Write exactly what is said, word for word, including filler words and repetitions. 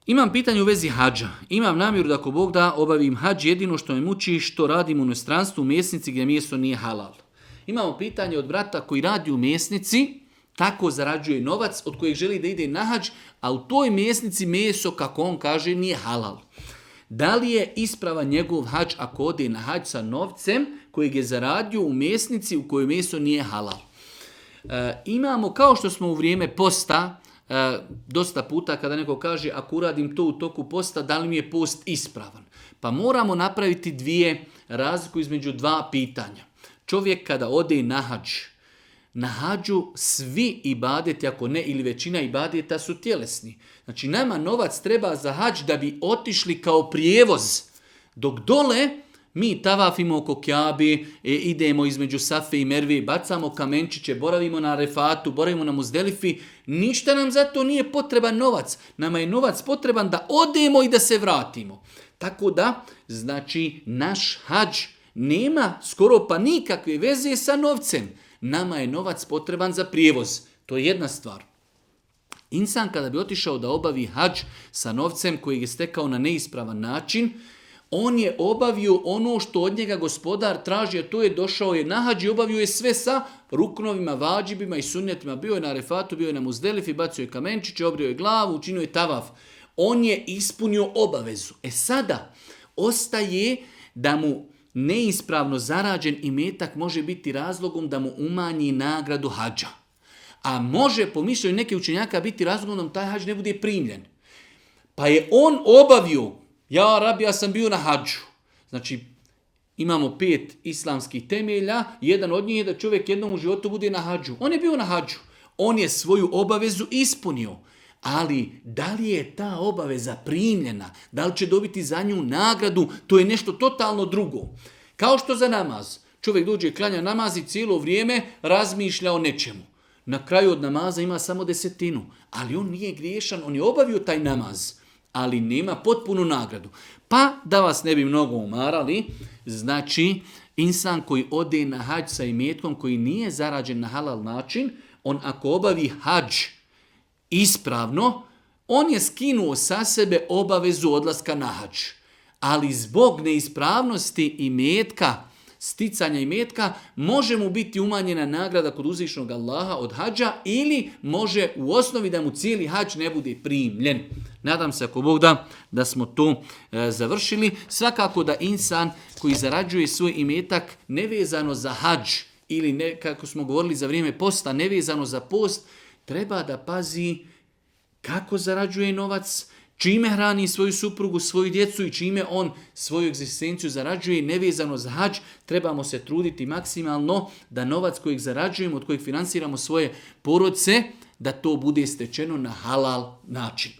Imam pitanje u vezi hađa. Imam namjeru da ako Bog da obavim hađ, jedino što me muči što radim u inostranstvu u mesnici gdje mjesto nije halal. Imamo pitanje od brata koji radi u mesnici, tako zarađuje novac od kojeg želi da ide na hađ, a u toj mesnici meso, kako on kaže, nije halal. Da li je ispravan njegov hađ ako ode na hađ sa novcem kojeg je zaradio u mesnici u kojoj meso nije halal? E, imamo, kao što smo u vrijeme posta, e, dosta puta kada neko kaže ako uradim to u toku posta, da li mi je post ispravan? Pa moramo napraviti dvije razliku između dva pitanja. Čovjek kada ode na hađ, na hađu svi ibadeti, ako ne ili većina ibadeta su tjelesni. Znači nama novac treba za hađ da bi otišli kao prijevoz. Dok dole mi tavafimo oko Kjabi, e, idemo između Safe i Merve, bacamo kamenčiće, boravimo na Arefatu, boravimo na Muzdelifi. Ništa nam za to nije potreban novac. Nama je novac potreban da odemo i da se vratimo. Tako da, znači, naš hađ nema skoro pa nikakve veze sa novcem. Nama je novac potreban za prijevoz. To je jedna stvar. Insan kada bi otišao da obavi hađ sa novcem koji je stekao na neispravan način, on je obavio ono što od njega gospodar traži, a to je došao je na hađ i obavio je sve sa ruknovima, vađibima i sunnetima. Bio je na Arefatu, bio je na Muzdelifi, bacio je kamenčiće, obrio je glavu, učinio je tavaf. On je ispunio obavezu. E sada ostaje da mu neispravno zarađen imetak može biti razlogom da mu umanji nagradu hađa. A može, po mišljenju neke učenjaka, biti razlogom da mu taj hađ ne bude primljen. Pa je on obavio, ja rabi, ja sam bio na hađu. Znači, imamo pet islamskih temelja, jedan od njih je da čovjek jednom u životu bude na hađu. On je bio na hađu. On je svoju obavezu ispunio. Ali da li je ta obaveza primljena, da li će dobiti za nju nagradu, to je nešto totalno drugo. Kao što za namaz. Čovjek dođe klanja namaz i cijelo vrijeme razmišlja o nečemu. Na kraju od namaza ima samo desetinu, ali on nije griješan, on je obavio taj namaz, ali nema potpunu nagradu. Pa da vas ne bi mnogo umarali, znači insan koji ode na hađ sa imetkom koji nije zarađen na halal način, on ako obavi hađ ispravno, on je skinuo sa sebe obavezu odlaska na hađ. Ali zbog neispravnosti imetka, sticanja imetka, može mu biti umanjena nagrada kod uzvišnog Allaha od hađa ili može u osnovi da mu cijeli hađ ne bude primljen. Nadam se ako Bog da, da smo to e, završili. Svakako da insan koji zarađuje svoj imetak nevezano za hađ ili ne, kako smo govorili za vrijeme posta, nevezano za post, treba da pazi kako zarađuje novac, čime hrani svoju suprugu, svoju djecu i čime on svoju egzistenciju zarađuje nevezano za hađ. Trebamo se truditi maksimalno da novac kojeg zarađujemo, od kojeg finansiramo svoje porodice, da to bude stečeno na halal način.